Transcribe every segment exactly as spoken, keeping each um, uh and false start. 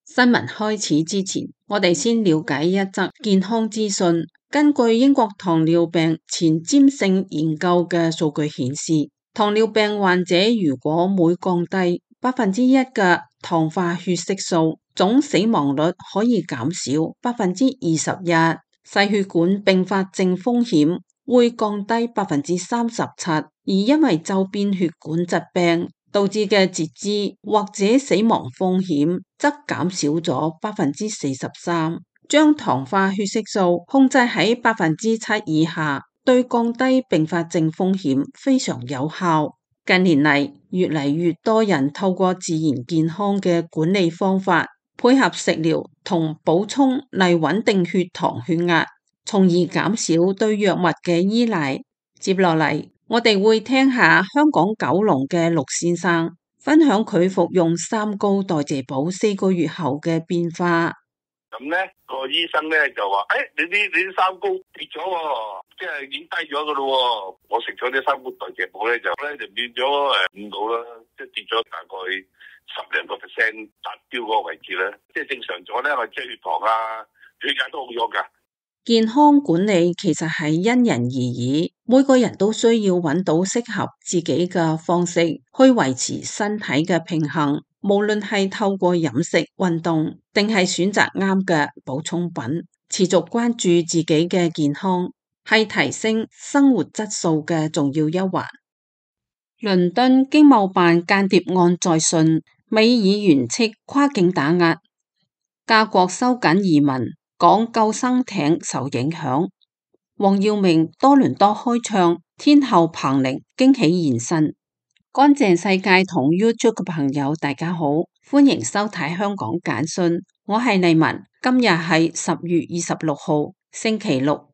新聞開始之前，我哋先了解一則健康資訊。根據英國糖尿病前瞻性研究嘅數據顯示，糖尿病患者如果每降低百分之一嘅糖化血色素，總死亡率可以減少百分之二十一，細血管併發症風險會降低百分之三十七，而因為周邊血管疾病導致嘅截肢或者死亡風險則減少咗百分之四十三。將糖化血色素控制喺百分之七以下，對降低併發症風險非常有效。近年嚟，越嚟越多人透過自然健康嘅管理方法，配合食療同補充嚟穩定血糖血壓，從而減少對藥物嘅依賴。接落嚟，我哋會聽下香港九龍嘅陸先生分享佢服用三高代謝補四個月後嘅變化。咁咧，個醫生咧就話：誒、哎，你啲你啲三高跌咗喎，即係已經低咗噶咯。我食咗啲三高代謝補咧，就咧就變咗誒五度啦，即係跌咗大概十零個 percent 達標嗰個位置咧。即係正常咗咧，我即係血糖啊、血壓都好咗噶。健康管理其實係因人而異，每個人都需要揾到適合自己嘅方式去維持身體嘅平衡。無論係透過飲食、運動，定係選擇啱嘅補充品，持續關注自己嘅健康，係提升生活質素嘅重要一環。倫敦經貿辦間諜案再訊，美議員斥跨境打壓，加國收緊移民，港救生艇受影響。黃耀明多倫多開唱，天后彭玲驚喜現身。乾淨世界同 YouTube 嘅朋友大家好，歡迎收睇香港簡訊，我係麗文，今日係十月二十六號星期六。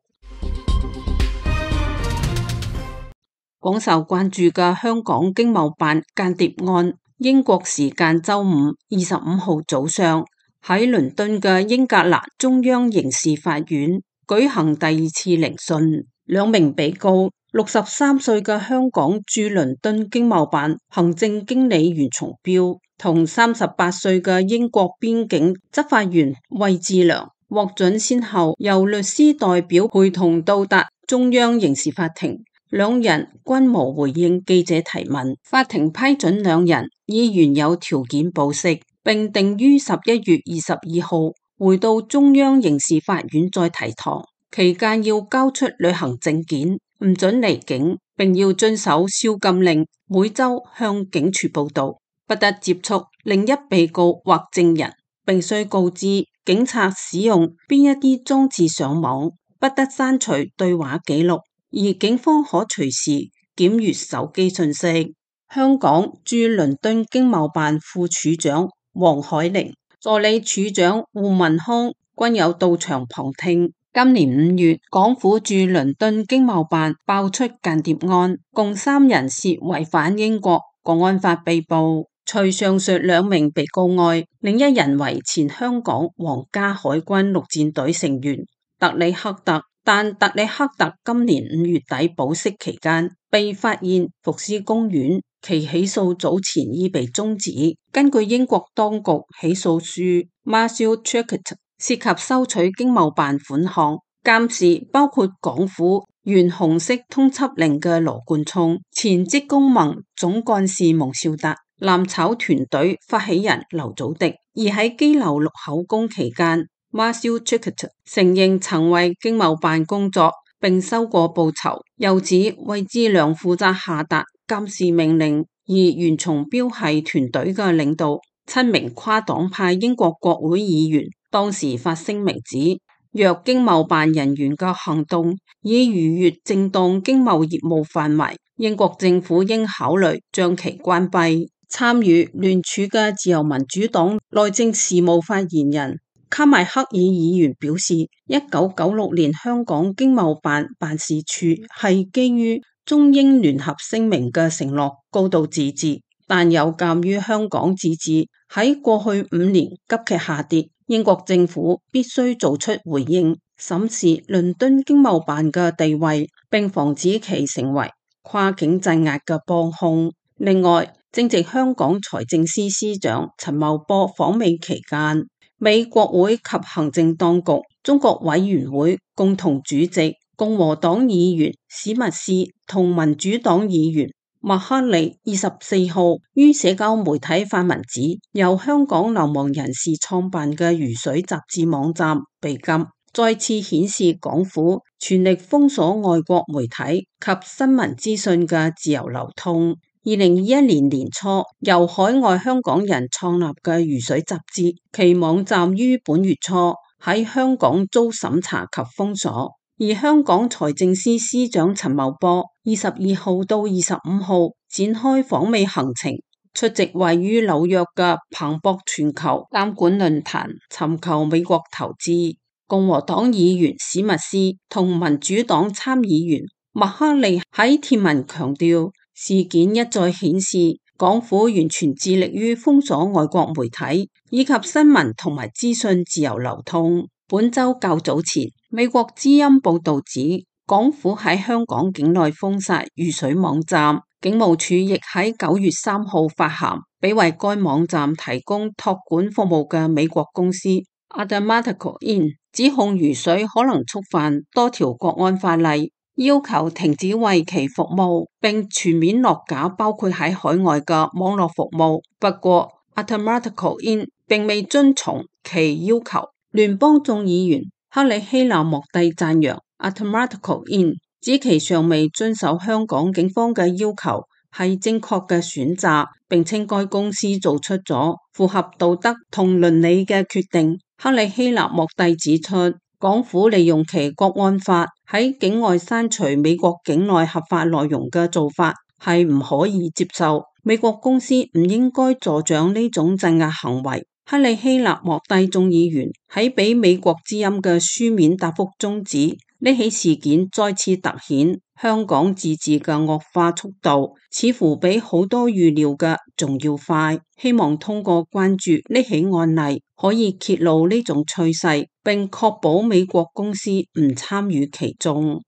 廣受關注嘅香港經貿辦間諜案，英國時間周五二十五號早上喺倫敦嘅英格蘭中央刑事法院舉行第二次聆訊，兩名被告六十三歲嘅香港駐倫敦經貿辦行政經理袁松標同三十八歲嘅英國邊境執法員魏志良獲准先後由律師代表陪同到達中央刑事法庭，兩人均無回應記者提問。法庭批准兩人以原有條件保釋，並定於十一月二十二號回到中央刑事法院再提堂，期間要交出旅行證件，唔准離境，並要遵守宵禁令，每周向警署報到，不得接觸另一被告或證人，並須告知警察使用邊一啲裝置上網，不得刪除對話記錄，而警方可隨時檢閱手機信息。香港駐倫敦經貿辦副處長黃海玲、助理處長胡文康均有到場旁聽。今年五月，港府駐倫敦經貿辦爆出間諜案，共三人涉違反英國國安法被捕。除上述兩名被告外，另一人為前香港皇家海軍陸戰隊成員特里克特，但特里克特今年五月底保釋期間被發現伏屍公園，其起訴早前已被終止。根據英國當局起訴書 Marshall Churchill 涉及收取經貿辦款項、監視包括港府原紅色通緝令嘅羅冠聰、前職工盟總幹事蒙兆達、攬炒團隊發起人劉祖迪。而喺羈留錄口供期間， Marshall Churchill 承認曾為經貿辦工作並收過報酬，又指魏志良負責下達監視命令，而袁松標係團隊嘅領導。七名跨黨派英國國會議員當時發聲明指，若經貿辦人員嘅行動已逾越正當經貿業務範圍，英國政府應考慮將其關閉。參與聯署嘅自由民主黨內政事務發言人卡邁克爾議員表示，一九九六年香港經貿辦辦事處係基於中英聯合聲明嘅承諾高度自治，但有鑒於香港自治喺過去五年急劇下跌，英國政府必須做出回應，審視倫敦經貿辦嘅地位，並防止其成為跨境鎮壓嘅幫兇。另外，正值香港財政司司長陳茂波訪美期間，美國會及行政當局中國委員會共同主席共和黨議員史密斯同民主黨議員麥克利二十四號於社交媒體發文指，由香港流亡人士創辦嘅如水雜誌網站被禁，再次顯示港府全力封鎖外國媒體及新聞資訊嘅自由流通。二零二一年年初由海外香港人創立嘅如水雜誌，其網站於本月初喺香港遭審查及封鎖。而香港財政司司長陳茂波二十二號到二十五號展開訪美行程，出席位於紐約嘅彭博全球監管論壇，尋求美國投資。共和黨議員史密斯同民主黨參議員麥克利喺貼文強調，事件一再顯示港府完全致力於封鎖外國媒體以及新聞同埋資訊自由流通。本周較早前，美國之音報道指，港府喺香港境內封殺如水網站，警務處亦喺九月三號發函俾為該網站提供託管服務嘅美國公司 Addamatico Incorporated， 指控如水可能觸犯多條國安法例，要求停止為其服務，並全面落架包括喺海外嘅網絡服務。不過 Addamatico Incorporated 並未遵從其要求。聯邦眾議員克里希納莫蒂讚揚 Addamatico Incorporated， 指其尚未遵守香港警方嘅要求係正確嘅選擇，並稱該公司做出咗符合道德同倫理嘅決定。克里希納莫蒂指出，港府利用其國安法喺境外刪除美國境內合法內容嘅做法係唔可以接受，美國公司唔應該助長呢種鎮壓行為。克里希納莫蒂眾議員喺俾美國之音嘅書面答覆中指，呢起事件再次凸顯香港自治嘅惡化速度似乎比好多預料嘅仲要快，希望通過關注呢起案例可以揭露呢種趨勢，並確保美國公司唔參與其中。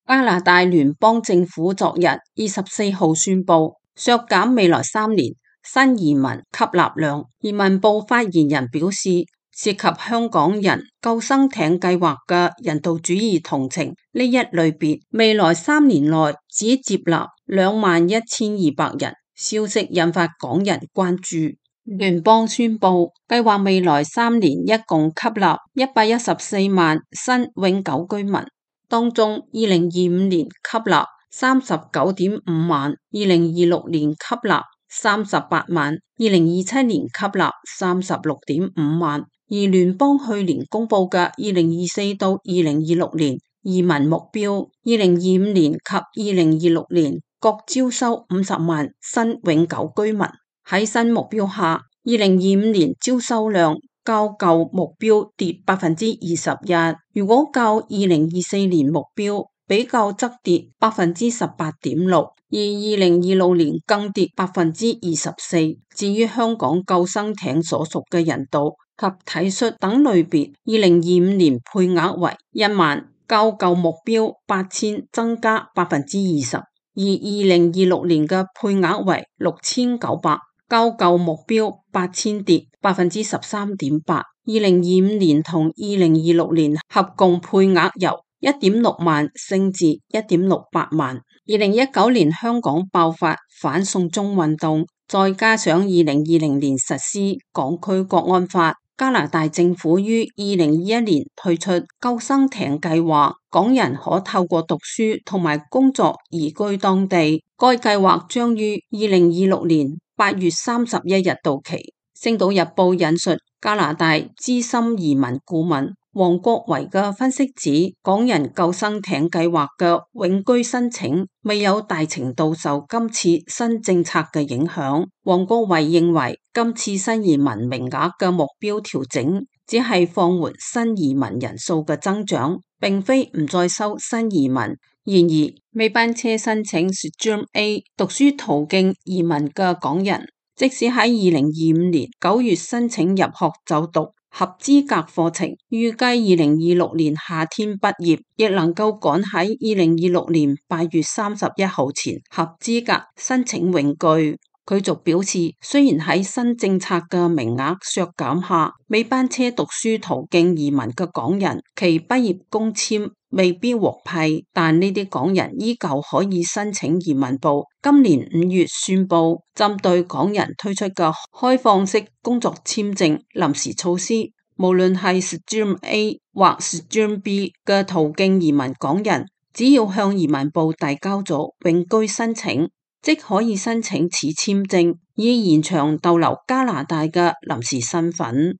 加拿大聯邦政府昨日二十四號宣布削減未來三年新移民吸納量。移民部發言人表示，涉及香港人救生艇計劃嘅人道主義同情呢一類別，未來三年內只接納兩萬一千二百人。消息引發港人關注。聯邦宣布計劃未來三年一共吸納一百一十四萬新永久居民，當中二零二五年吸納三十九點五萬，二零二六年吸納三十八萬，二零二七年吸納三十六點五萬。而聯邦去年公布嘅二零二四到二零二六年移民目標，二零二五年及二零二六年各招收五十萬新永久居民。喺新目標下，二零二五年招收量較舊目標跌百分之二十一，如果較二零二四年目標比較則跌百分之十八點六，而二零二六年更跌百分之二十四。至於香港救生艇所屬嘅人道及體恤等類別，二零二五年配額為一萬，較舊目標八千增加百分之二十，而二零二六年嘅配額為六千九百，較舊目標八千跌百分之十三點八。二零二五年同二零二六年合共配額由一點六萬升至一點六八萬。二零一九年香港爆發反送中運動，再加上二零二零年實施港區國安法，加拿大政府於二零二一年推出救生艇計劃，港人可透過讀書同埋工作移居當地。該計劃將於二零二六年八月三十一日到期。星島日報引述加拿大資深移民顧問黃國維嘅分析指，港人救生艇計劃嘅永居申請未有大程度受今次新政策嘅影響。黃國維認為，今次新移民名額嘅目標調整只係放緩新移民人數嘅增長，並非唔再收新移民。然而，尾班車申請 Stream A 讀書途徑移民嘅港人即使喺二零二五年九月申請入學就讀合資格課程，預計二零二六年夏天畢業，亦能夠趕喺二零二六年八月三十一號前合資格申請永居。佢仲表示，雖然喺新政策嘅名額削減下，尾班車讀書途徑移民嘅港人其畢業工簽未必獲批，但呢啲港人依舊可以申請移民部今年五月宣布針對港人推出嘅開放式工作簽證臨時措施，無論係 Stream A 或 Stream B 嘅途徑移民港人，只要向移民部遞交咗永居申請，即可以申請此簽證，以延長逗留加拿大嘅臨時身份。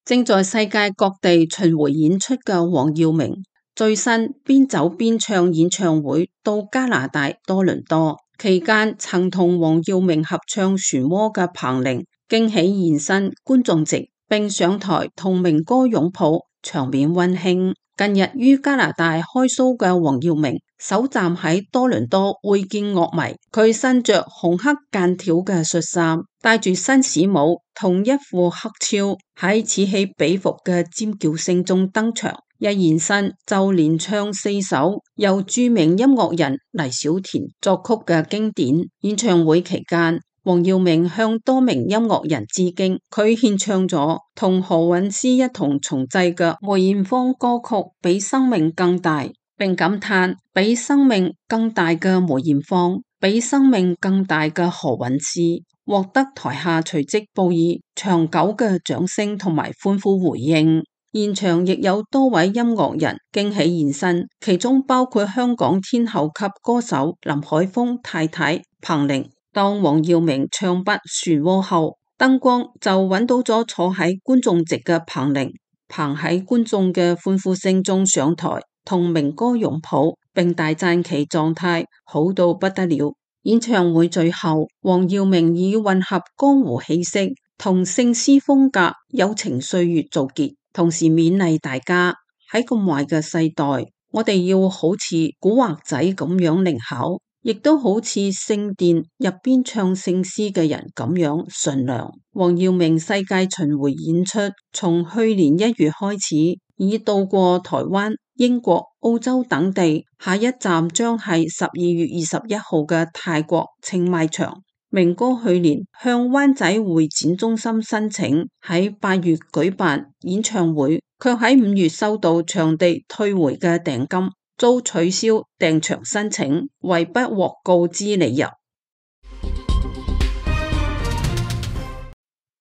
正在世界各地巡迴演出嘅黃耀明，最新邊走邊唱演唱會到加拿大多倫多，期間曾同黃耀明合唱漩渦嘅彭羚驚喜現身觀眾席，並上台同明哥擁抱，場面溫馨。近日於加拿大開 show 嘅黃耀明首站喺多倫多會見樂迷，佢身着紅黑間條嘅恤衫，帶住紳士帽同一副黑超，喺此起彼伏嘅尖叫聲中登場，一現身就連唱四首由著名音樂人黎小田作曲嘅經典。演唱會期間，黃耀明向多名音樂人致敬，佢獻唱咗同何韻詩一同重製嘅梅艷芳歌曲《比生命更大》，並感嘆比生命更大嘅梅艷芳，比生命更大嘅何韻詩，獲得台下隨即報以長久嘅掌聲同埋歡呼回應。現場亦有多位音樂人驚喜現身，其中包括香港天后級歌手林海峰太太彭羚。當黃耀明唱畢漩渦後，燈光就揾到咗坐喺觀眾席嘅彭羚，彭喺觀眾嘅歡呼聲中上台同明哥擁抱，並大讚其狀態好到不得了。演唱會最後，黃耀明以混合江湖氣息同聖詩風格友情歲月做結，同時勉勵大家喺咁壞嘅世代，我哋要好似古惑仔咁樣靈巧，亦都好似聖殿入邊唱聖詩嘅人咁樣純良。黃耀明世界巡迴演出從去年一月開始，已到過台灣、英國、澳洲等地，下一站將係十二月二十一號嘅泰國清邁場。明哥去年向灣仔會展中心申請喺八月舉辦演唱會，卻喺五月收到場地退回嘅訂金，遭取消訂場申請，為不獲告知理由。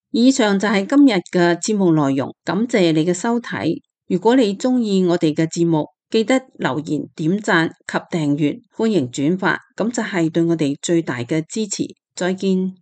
以上就係今日嘅節目內容，感謝你嘅收睇。如果你中意我哋嘅節目，記得留言、點讚及訂閱，歡迎轉發，咁就係對我哋最大嘅支持。再見。